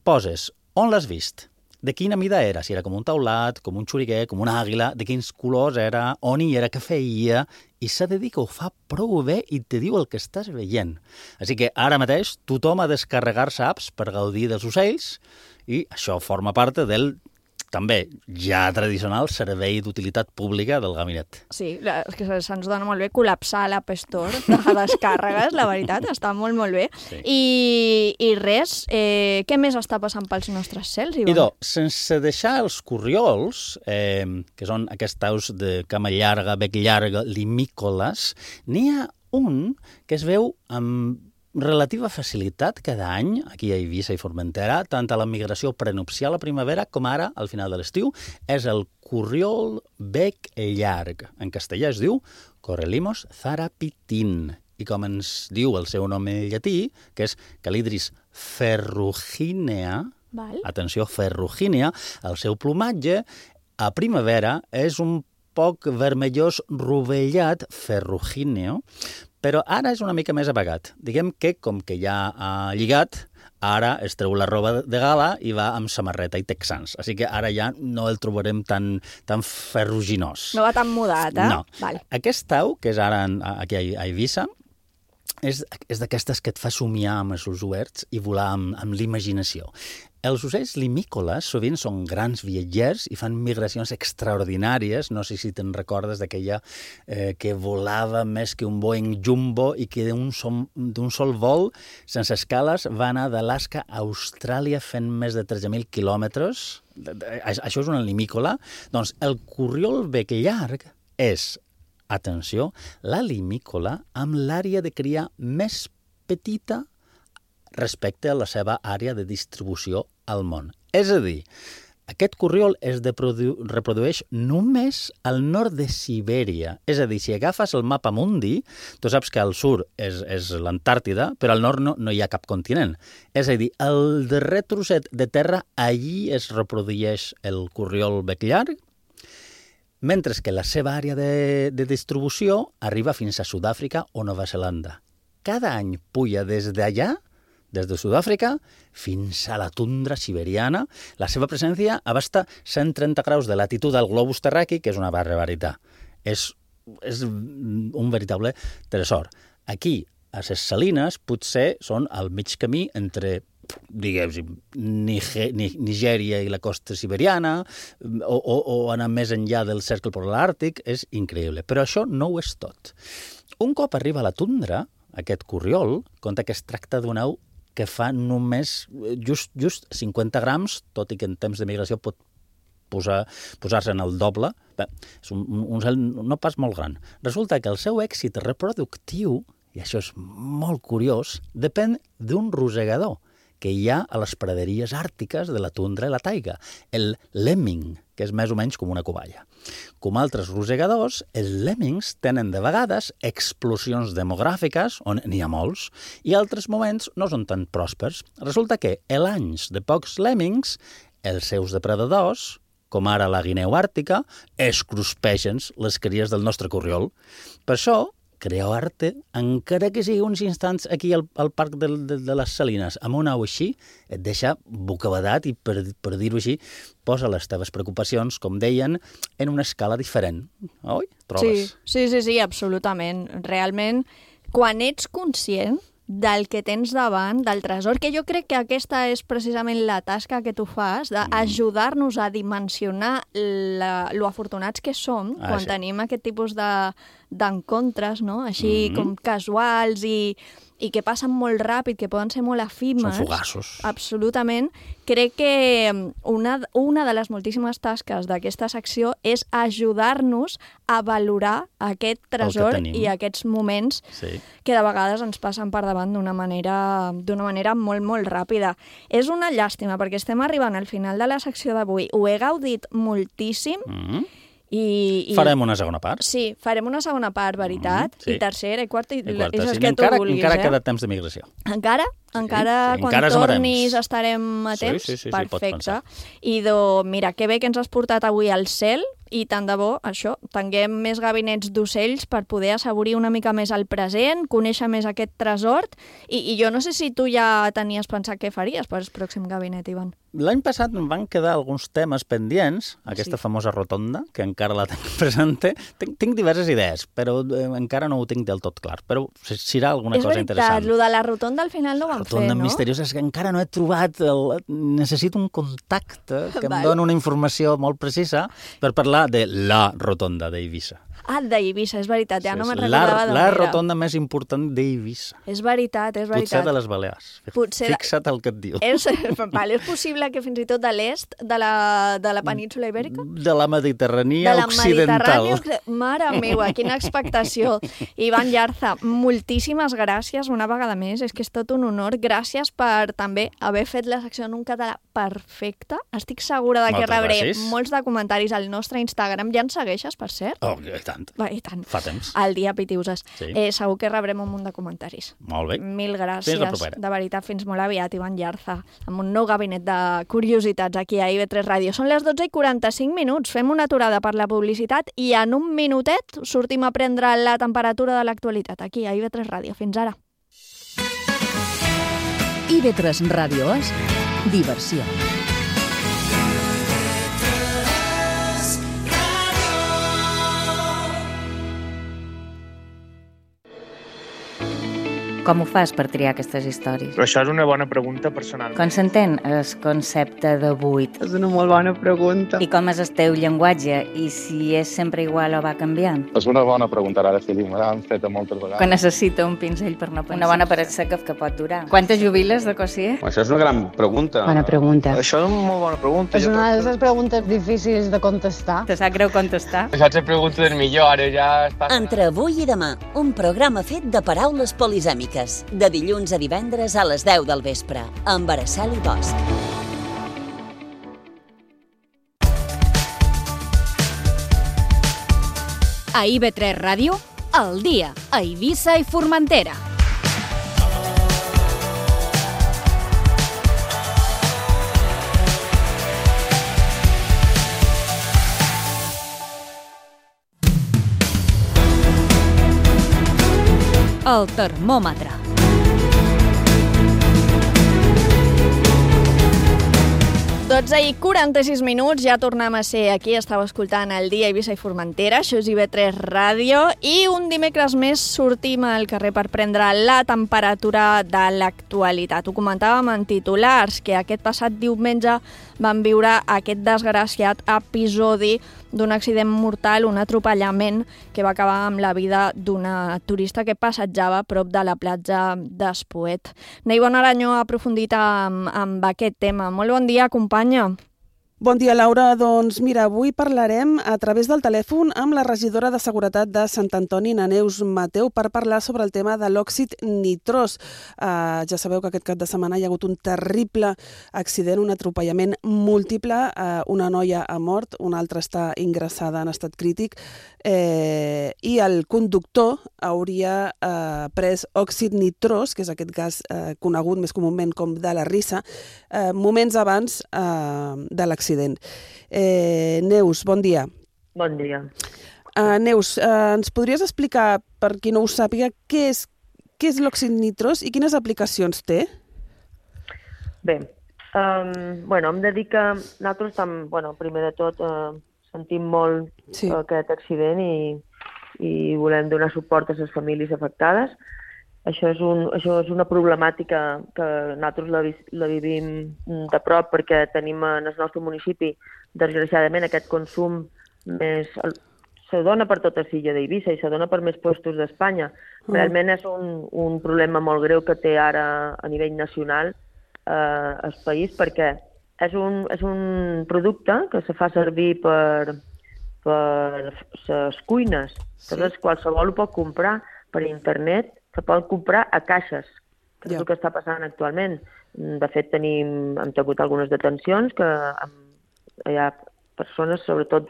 Poses on l'has vist, de quina mida era, si era com un taulat, com un xuriguer, com una àguila, de quins colors era, on hi era, què feia, i s'ha de dir que ho fa prou bé i te diu el que estàs veient. Així que ara mateix tothom ha de descarregar-se apps per gaudir dels ocells i això forma part del també ja tradicional servei d'utilitat pública del gabinet. Sí, és que se'ns dona molt bé col·lapsar l'App Store de descàrregues, la veritat, està molt bé. Sí. I res, què més està passant pels nostres cels, Ivan? Idò, sense deixar els corriols, que són aquests aus de cama llarga, bec llarga, limícoles, n'hi ha un que es veu amb relativa facilitat cada any, aquí a Eivissa i Formentera, tant a la migració prenupcial a primavera com ara, al final de l'estiu, és el corriol bec llarg. En castellà es diu Correlimos zarapitin. I com ens diu el seu nom en llatí, que és Calidris ferruginea, atenció, ferruginea, el seu plomatge a primavera és un poc vermellós rovellat, ferrugineo, però ara és una mica més apagat. Diguem que, com que ja ha lligat, ara es treu la roba de gala i va amb samarreta i texans. Així que ara ja no el trobarem tan ferruginós. No va tan mudat, eh? No. Vale. Aquest au, que és ara aquí a Eivissa, és d'aquestes que et fa somiar amb els ulls oberts i volar amb l'imaginació. Els ocells limícoles sovint són grans viatgers i fan migracions extraordinàries. No sé si te'n recordes d'aquella que volava més que un Boeing Jumbo i que d'un sol vol, sense escales, va anar d'Alaska a Austràlia fent més de 13.000 quilòmetres. Això és una limícola. Doncs el corriol bec llarg és, atenció, la limícola amb l'àrea de cria més petita respecte a la seva àrea de distribució al món. És a dir, aquest corriol es reprodueix només al nord de Sibèria. És a dir, si agafes el mapa mundi, tu saps que al sud és l'Antàrtida, però al nord no hi ha cap continent. És a dir, el darrer trosset de terra, allí es reprodueix el corriol bec llarg, mentre que la seva àrea de distribució arriba fins a Sud-àfrica o Nova Zelanda. Cada any puja des d'allà, des de Sud-àfrica fins a la tundra siberiana. La seva presència abasta 130 graus de latitud al globus terraqui, que és una barbaritat. És un veritable tresor. Aquí, a ses Salines, potser són al mig camí entre, diguem, Nigèria i la costa siberiana, o anar més enllà del cercle polar àrtic. És increïble. Però això no ho és tot. Un cop arriba a la tundra, aquest corriol conta que es tracta d'un au que fa només just 50 grams, tot i que en temps de migració pot posar-se en el doble. Bé, és un cel no pas molt gran. Resulta que el seu èxit reproductiu, i això és molt curiós, depèn d'un rosegador, que hi ha a les praderies àrtiques de la tundra i la taiga, el lemming, que és més o menys com una covalla. Com altres rosegadors, els lemmings tenen de vegades explosions demogràfiques, on n'hi ha molts, i altres moments no són tan pròspers. Resulta que, en anys de pocs lemmings, els seus depredadors, com ara la guineu àrtica, es cruspeixen les cries del nostre corriol. Per això, crear-te, encara que sigui uns instants aquí al Parc de les Salines, amb una au així, et deixa bocabadat i, per dir-ho així, posa les teves preocupacions, com deien, en una escala diferent. Oi? Trobes? Sí, absolutament. Realment, quan ets conscient del que tens davant, del tresor, que jo crec que aquesta és precisament la tasca que tu fas, d'ajudar-nos a dimensionar lo afortunats que som quan tenim aquest tipus d'encontres, no? Així com casuals i que passen molt ràpid, que poden ser molt efímers. Són fugaços. Absolutament. Crec que una de les moltíssimes tasques d'aquesta secció és ajudar-nos a valorar aquest tresor i aquests moments que de vegades ens passen per davant d'una manera molt, molt ràpida. És una llàstima, perquè estem arribant al final de la secció d'avui. Ho he gaudit moltíssim. Farem una segona part. Sí, farem una segona part, veritat, i tercera i quarta, i les sí. que tu vulguis. Encara queda temps de migració. Encara quan tornis estarem a temps. Sí, perfecte. I mira, que bé que ens has portat avui al cel, i tant de bo, això, tinguem més gabinets d'ocells per poder assaborir una mica més el present, conèixer més aquest tresor, i jo no sé si tu ja tenies pensat què faries per al pròxim gabinet, Ivan. L'any passat em van quedar alguns temes pendients, aquesta famosa rotonda, que encara la tinc presente. Tinc diverses idees, però encara no ho tinc del tot clar, però serà alguna cosa interessant. És veritat, lo de la rotonda al final no ho van fer, no? La rotonda misteriosa és que encara no he trobat... Necessito un contacte que em doni una informació molt precisa per parlar de la rotonda d'Eivissa. Ah, d'Eivissa, és veritat, ja no me'n recordava d'on era. La rotonda més important d'Eivissa. És veritat. Potser de les Balears. Fixa't el que et diu. És possible que fins i tot de l'est de la península Ibèrica? De la Mediterrània occidental. Mare meua, quina expectació. Ivan Yarza, moltíssimes gràcies una vegada més, és que és tot un honor. Gràcies per també haver fet la secció en un català perfecte. Estic segura de que rebré molts de comentaris al nostre Instagram. Ja ens segueixes, per cert? Oh, i tant. I tant. Fa temps. El dia Pitiuses. Segur que rebrem un munt de comentaris. Molt bé. Mil gràcies. Fins la propera. De veritat, fins molt aviat, Ivan Yarza, amb un nou gabinet de curiositats aquí a IB3 Ràdio. Són les 12:45. Fem una aturada per la publicitat i en un minutet sortim a prendre la temperatura de l'actualitat aquí a IB3 Ràdio. Fins ara. IB3 Ràdio és diversió. Com ho fas per triar aquestes històries? Però això és una bona pregunta personal. Com s'entén el concepte de buit? És una molt bona pregunta. I com és el teu llenguatge? I si és sempre igual o va canviant? És una bona pregunta, ara sí, me l'han fet moltes vegades. Que necessita un pinzell per no pensar. Una bona paret seca que pot durar. Quantes jubiles de cosier? Això és una gran pregunta. Bona pregunta. Això és una molt bona pregunta. És una de les preguntes difícils de contestar. Te sap greu contestar? Això és la pregunta del millor, ara ja està... Entre avui i demà, un programa fet de paraules polisèmiques. De dilluns a divendres a les 10 del vespre, amb Araceli Bosch. A IB3 Ràdio, al dia, a Eivissa i Formentera. El termòmetre. I 46 minuts, ja tornem a ser aquí, estàu escoltant el dia Eivissa i Formentera, això és IB3 Ràdio, i un dimecres més sortim al carrer per prendre la temperatura de l'actualitat. Ho comentàvem en titulars, que aquest passat diumenge van viure aquest desgraciat episodi d'un accident mortal, un atropellament que va acabar amb la vida d'una turista que passejava a prop de la platja d'Espoet. Neibon Aranyó ha aprofundit amb aquest tema. Molt bon dia, companya. Bon dia, Laura. Doncs mira, avui parlarem a través del telèfon amb la regidora de Seguretat de Sant Antoni, na Neus Mateu, per parlar sobre el tema de l'òxid nitrós. Ja sabeu que aquest cap de setmana hi ha hagut un terrible accident, un atropellament múltiple. Una noia ha mort, una altra està ingressada en estat crític i el conductor hauria pres òxid nitrós, que és aquest gas conegut més comúment com de la risa, moments abans de l'accident. Neus, bon dia. Bon dia. Neus, ens podries explicar, per qui no ho sàpiga, què és l'òxid nitrós i quines aplicacions té? Bé, hem de dir que nosaltres primer de tot sentim molt aquest accident i volem donar suport a les famílies afectades. Això és una problemàtica que nosaltres la vivim de prop perquè tenim en el nostre municipi, desgraciadament, aquest consum se dona per tota l'illa d'Eivissa i se dona per més puestos d'Espanya. Realment és un problema molt greu que té ara a nivell nacional el país perquè és un producte que se fa servir per les cuines. Llavors, qualsevol ho pot comprar per internet, se pot comprar a caixes, que és el que està passant actualment. De fet, hem tingut algunes detencions que hi ha persones, sobretot,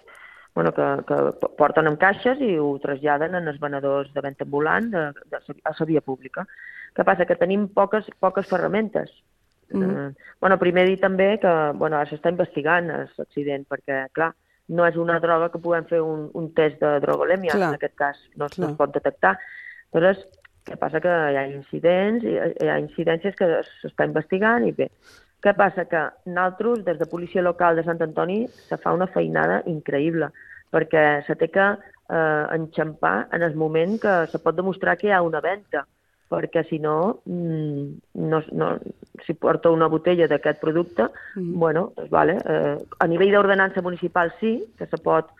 que porten en caixes i ho traslladen als venedors de venda ambulant a la via pública. Què passa? Que tenim poques ferramentes. Primer dir també que ara s'està investigant l'accident, perquè, clar, no és una droga que puguem fer un test de drogolèmia, en aquest cas no es pot detectar. Llavors, què passa? Que hi ha incidències que s'està investigant i bé. Què passa? Que nosaltres, des de Policia Local de Sant Antoni, se fa una feinada increïble, perquè se té que enxampar en el moment que se pot demostrar que hi ha una venda, perquè si no, si porta una botella d'aquest producte, a nivell d'ordenança municipal sí, que se pot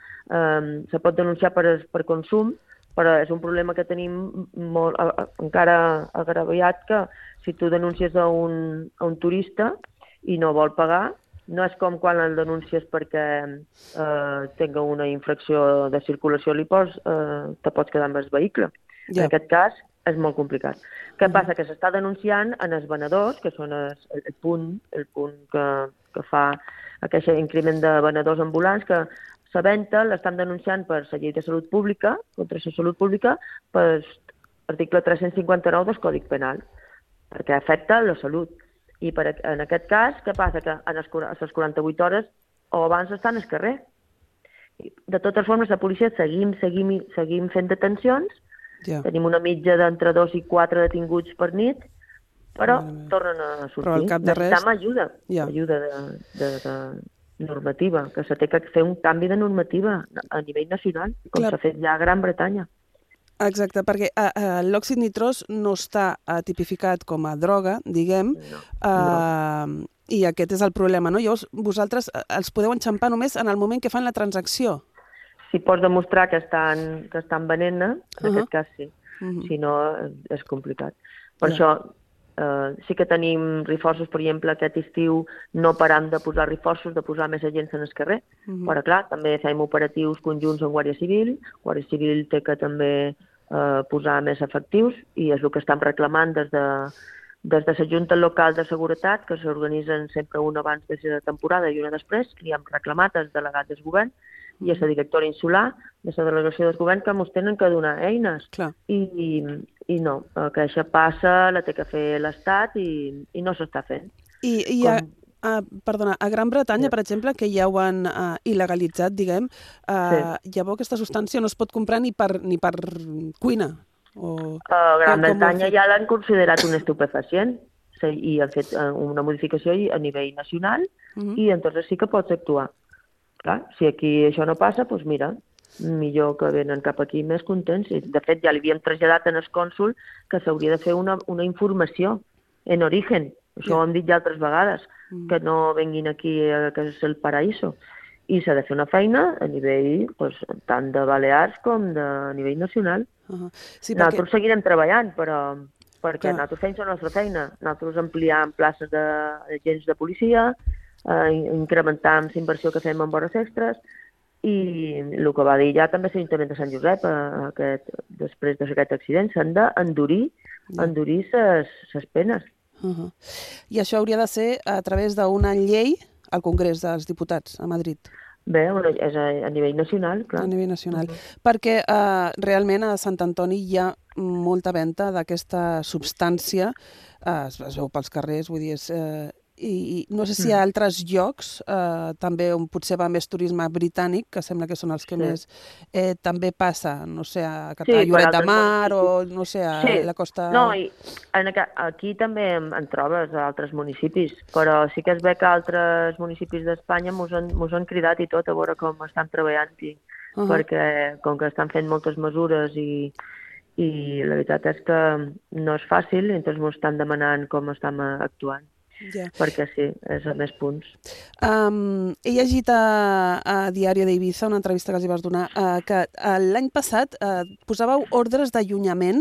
denunciar per consum, però és un problema que tenim encara agraviat, que si tu denuncies a un turista i no vol pagar, no és com quan el denuncies perquè tenga una infracció de circulació, te pots quedar amb el vehicle. En aquest cas és molt complicat. Què passa? Que s'està denunciant en els venedors, que són el punt que fa aquest increment de venedors ambulants, que la venda l'estan denunciant per la llei de salut pública, contra la salut pública, per l'article 359 del Codi Penal, perquè afecta la salut. I en aquest cas, què passa? Que a les 48 hores o abans estan al carrer. De totes formes, la policia seguim fent detencions, tenim una mitja d'entre 2 i 4 detinguts per nit, però tornen a sortir. Però al cap de res... Necessitem ajuda de normativa, que se té que fer un canvi de normativa a nivell nacional, com s'ha fet ja a Gran Bretanya. Exacte, perquè l'òxid nitrós no està tipificat com a droga, diguem, i aquest és el problema, no? Llavors, vosaltres els podeu enxampar només en el moment que fan la transacció. Si pots demostrar que estan venent-ne, en aquest cas sí. Si no, és complicat. Per això, sí que tenim reforços, per exemple, aquest estiu no param de posar reforços, de posar més agents en el carrer, però clar, també fem operatius conjunts amb Guàrdia Civil. Guàrdia Civil té que també posar més efectius i és el que estem reclamant des de la Junta Local de Seguretat, que s'organitzen sempre una abans de la temporada i una després, i hem reclamat als delegats del govern i a la directora insular de la delegació del govern que ens tenen que donar eines. I no, que això passa, la té que fer l'Estat i no s'està fent. Perdona, a Gran Bretanya, per exemple, que ja ho han il·legalitzat, diguem, llavors aquesta substància no es pot comprar ni per cuina. A Gran Bretanya ja l'han considerat un estupefacient i han fet una modificació a nivell nacional i entonces sí que pots actuar. Clar, si aquí això no passa, doncs mira, millor que venen cap aquí més contents. De fet, ja li havíem traslladat en el cònsul que s'hauria de fer una informació en origen. Això ho hem dit ja altres vegades, que no venguin aquí que és el paraíso. I s'ha de fer una feina a nivell tant de Balears com a nivell nacional. Nosaltres seguirem treballant, però perquè nosaltres fem la nostra feina. Nosaltres ampliam places d'agents de policia, incrementar la inversió que fem en hores extres, i el que va dir ja també l'Ajuntament de Sant Josep, després d'aquest accident, s'han d'endurir les penes. I això hauria de ser a través d'una llei al Congrés dels Diputats a Madrid. Bé, és a nivell nacional, clar. A nivell nacional. Perquè realment a Sant Antoni hi ha molta venda d'aquesta substància, es veu pels carrers, vull dir, i no sé si hi ha altres llocs, també on potser va més turisme britànic, que sembla que són els que més, també passa, no sé, a Lloret de Mar o, no sé, a la costa... No, i aquí també en trobes a altres municipis, però sí que es ve que altres municipis d'Espanya mos han cridat i tot a veure com estan treballant-hi, perquè com que estan fent moltes mesures i la veritat és que no és fàcil, entonces mos estan demanant com estem actuant. Perquè sí, és a més punts. He llegit a Diario d'Ibiza, una entrevista que els hi vas donar, que l'any passat posàveu ordres d'allunyament,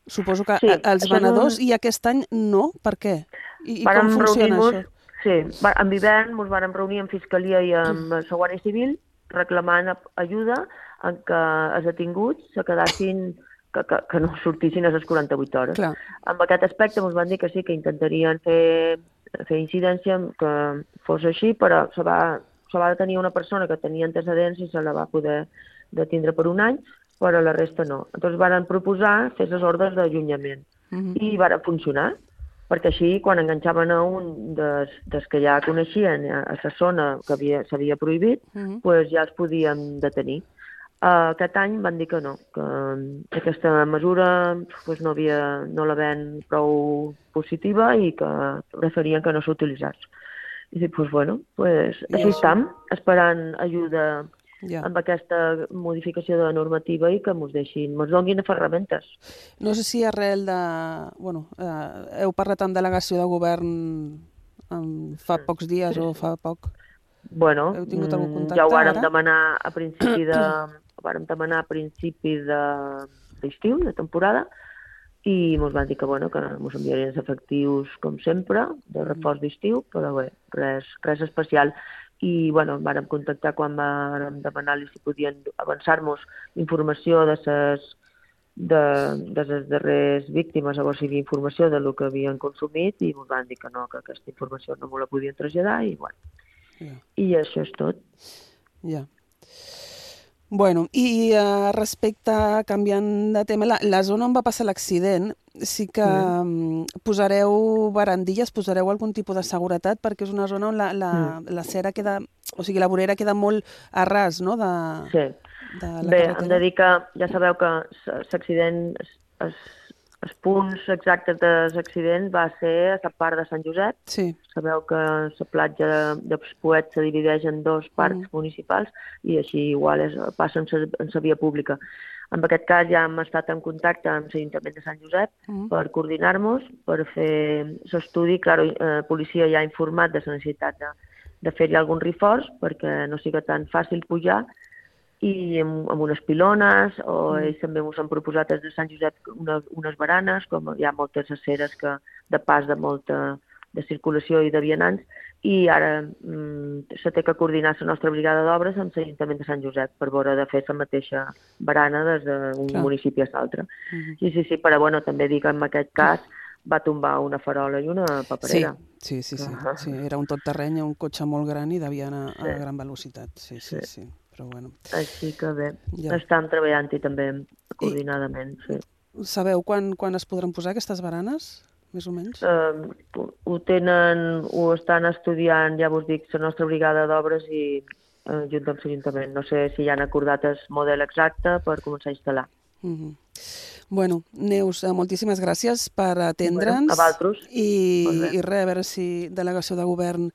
suposo que als venedors, i aquest any no. Per què? I com funciona això? Sí, en Vivern ens vam reunir amb Fiscalia i amb la Guàrdia Civil reclamant ajuda en què els detinguts se quedassin que no sortissin a les 48 hores. Clar. Amb aquest aspecte ens van dir que sí, que intentarien fer incidència, que fos així, però se va detenir una persona que tenia antecedents i se la va poder detindre per un any, però la resta no. Llavors van proposar fer les ordres d'allunyament i van funcionar, perquè així, quan enganxaven a un dels que ja coneixien a la zona que s'havia prohibit, ja els podien detenir. Aquest any van dir que no, que aquesta mesura no la ven prou positiva i que preferien que no s'utilitzés. I dic, així estem, esperant ajuda amb aquesta modificació de la normativa i que ens donin ferramentes. No sé si arrel de... heu parlat amb delegació de govern fa pocs dies o fa poc? Heu tingut algun contacte? Ja ho vàrem demanar a principi d'estiu, de temporada, i ens van dir que ens enviarien els efectius, com sempre, de reforç d'estiu, però bé, res especial. I vàrem contactar quan vàrem demanar-li si podien avançar-nos informació de les darreres víctimes, a veure si hi havia informació del que havien consumit, i ens van dir que no, que aquesta informació no me la podien traslladar, i això és tot. Ja. I respecte, canviant de tema, la zona on va passar l'accident, sí que posareu barandilles, posareu algun tipus de seguretat, perquè és una zona on la cera queda, o sigui, la vorera queda molt a ras, no?, de la carretera. Bé, hem de dir que ja sabeu que l'accident, els punts exactes de l'accident va ser a la part de Sant Josep. Sí. Sabeu que la platja de Poet se divideix en dos parcs municipals i així igual passa en la via pública. En aquest cas ja hem estat en contacte amb l'Ajuntament de Sant Josep per coordinar-nos, per fer l'estudi. La policia ja ha informat de la necessitat de fer-hi algun reforç perquè no sigui tan fàcil pujar, i amb unes pilones, o ells també ens han proposat des de Sant Josep unes baranes, com hi ha moltes aceres de pas de molta de circulació i de vianants, i ara se té que coordinar la nostra brigada d'obres amb l'Ajuntament de Sant Josep per veure de fer la mateixa barana des d'un municipi a l'altre. Sí, però també dic que en aquest cas va tombar una farola i una paperera. Sí, era un tot terreny, un cotxe molt gran i devia anar a gran velocitat. Sí. Però bueno. Així que bé, estan treballant-hi també coordinadament. Sabeu quan es podran posar aquestes baranes, més o menys? Ho estan estudiant, ja vos dic, la nostra brigada d'obres i junt amb l'Ajuntament. No sé si ja han acordat el model exacte per començar a instal·lar. Neus, moltíssimes gràcies per atendre'ns. A vosaltres. I res, a veure si delegació de govern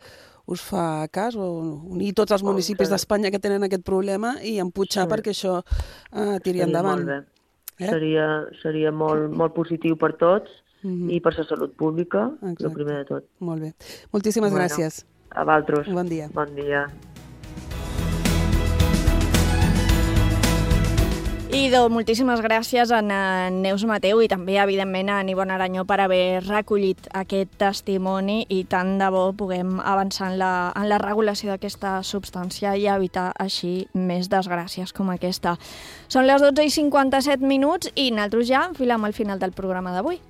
us fa cas, o unir tots els municipis d'Espanya que tenen aquest problema i empujar perquè això tiri endavant. Molt bé. Seria molt positiu per tots i per la salut pública, el primer de tot. Molt bé. Moltíssimes gràcies. A vosaltres. Bon dia. Bon dia. I moltíssimes gràcies a Neus Mateu i també, evidentment, a Ivonne Aranyó per haver recollit aquest testimoni i tant de bo puguem avançar en la regulació d'aquesta substància i evitar així més desgràcies com aquesta. Són les 12:57 i nosaltres ja enfilem al final del programa d'avui.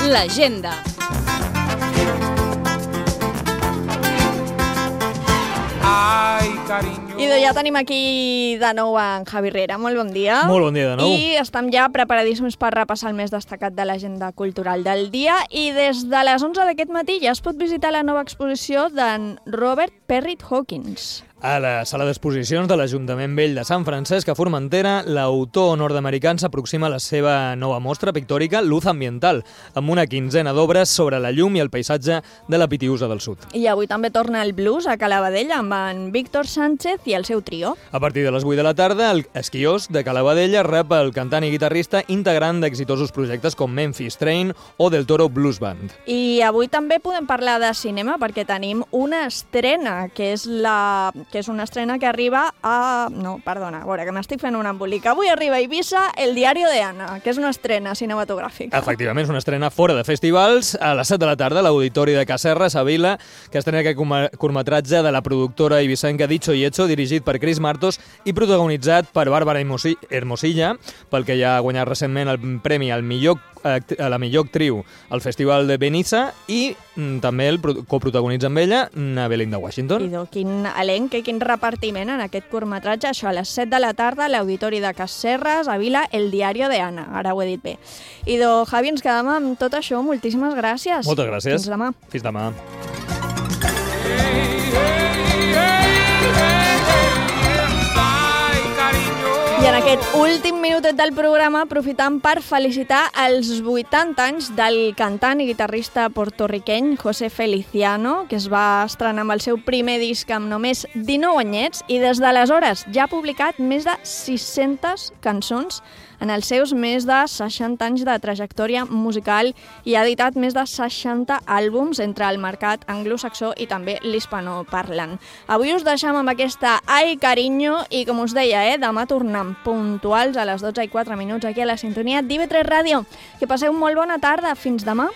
L'agenda. I ja tenim aquí de nou en Javi Riera. Molt bon dia. Molt bon dia de nou. I estem ja preparadíssims per repassar el més destacat de l'agenda cultural del dia. I des de les 11 d'aquest matí ja es pot visitar la nova exposició d'en Robert Perrit Hawkins. A la sala d'exposicions de l'Ajuntament Vell de Sant Francesc a Formentera, l'autor nord-americà s'aproxima a la seva nova mostra pictòrica Luz Ambiental, amb una quinzena d'obres sobre la llum i el paisatge de la Pitiüsa del Sud. I avui també torna el blues a Calabadella amb en Víctor Sánchez i el seu trio. A partir de les 8 de la tarda, el Esquiós de Calabadella rep el cantant i guitarrista integrant d'exitosos projectes com Memphis Train o Del Toro Blues Band. I avui també podem parlar de cinema perquè tenim una estrena, que és una estrena que arriba a... No, perdona, a veure, que m'estic fent un embolic. Avui arriba a Eivissa El diario de Ana, que és una estrena cinematogràfica. Efectivament, és una estrena fora de festivals. A les 7 de la tarda, a l'Auditori de Casserres, a Vila, que estrena aquest curtmetratge de la productora eivissenca Dicho y Hecho, dirigit per Cris Martos i protagonitzat per Bàrbara Hermosilla, pel que ja ha guanyat recentment el premi a la millor actriu al Festival de Benissa, i també el coprotagonitza amb ella Belinda Washington. I quin elenc i quin repartiment en aquest curtmetratge. Això a les 7 de la tarda a l'Auditori de Casserres, a Vila, El diario de Ana. Ara ho he dit bé. I Javi, ens quedem amb tot això. Moltíssimes gràcies. Moltes gràcies. Fins demà. Fins demà. I en aquest últim minutet del programa aprofitam per felicitar els 80 anys del cantant i guitarrista portorriqueny José Feliciano, que es va estrenar amb el seu primer disc amb només 19 anyets i des d'aleshores ja ha publicat més de 600 cançons en els seus més de 60 anys de trajectòria musical i ha editat més de 60 àlbums entre el mercat anglosaxó i també l'hispanoparlant. Avui us deixem amb aquesta Ai Cariño i, com us deia, demà tornem puntuals a les 12:04 aquí a la sintonia d'IV3 Ràdio. Que passeu molt bona tarda. Fins demà.